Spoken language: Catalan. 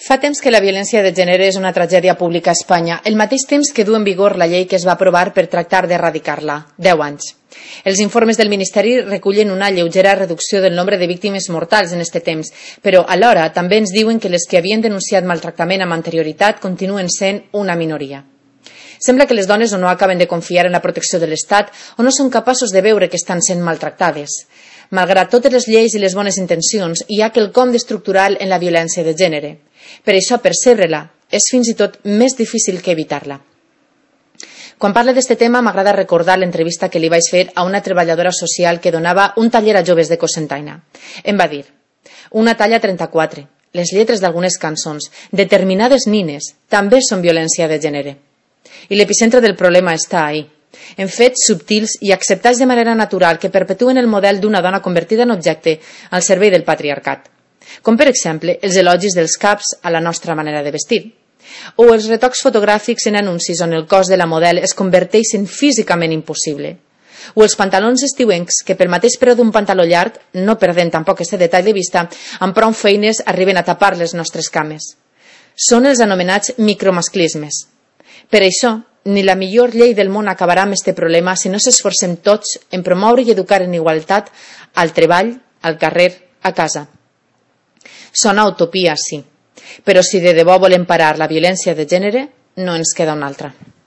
Fa temps que la violència de gènere és una tragèdia pública a Espanya, el mateix temps que du en vigor la llei que es va aprovar per tractar d'erradicar-la, 10 anys. Els informes del Ministeri recullen una lleugera reducció del nombre de víctimes mortals en aquest temps, però alhora també ens diuen que les que havien denunciat maltractament amb anterioritat continuen sent una minoria. Sembla que les dones o no acaben de confiar en la protecció de l'Estat o no són capaços de veure que estan sent maltractades. Malgrat totes les lleis i les bones intencions, hi ha quelcom d'estructural en la violència de gènere. Per això, percebre-la és fins i tot més difícil que evitar-la. Quan parlo d'aquest tema, m'agrada recordar l'entrevista que li vaig fer a una treballadora social que donava un taller a joves de Cocentaina. Em va dir: una talla 34, les lletres d'algunes cançons, determinades nines, també són violència de gènere. I l'epicentre del problema està ahí, en fets subtils i acceptats de manera natural que perpetuen el model d'una dona convertida en objecte al servei del patriarcat. Com, per exemple, els elogis dels caps a la nostra manera de vestir, o els retocs fotogràfics en anuncis on el cos de la model es converteix en físicament impossible, o els pantalons estiuencs que pel mateix preu d'un pantaló llarg, no perdent tampoc aquest detall de vista, amb prou feines arriben a tapar les nostres cames. Són els anomenats micromasclismes. Per això, ni la millor llei del món acabarà amb aquest problema si no s'esforcem tots en promoure i educar en igualtat al treball, al carrer, a casa. Sona utopia, sí, però si de debò volem parar la violència de gènere, no ens queda una altra.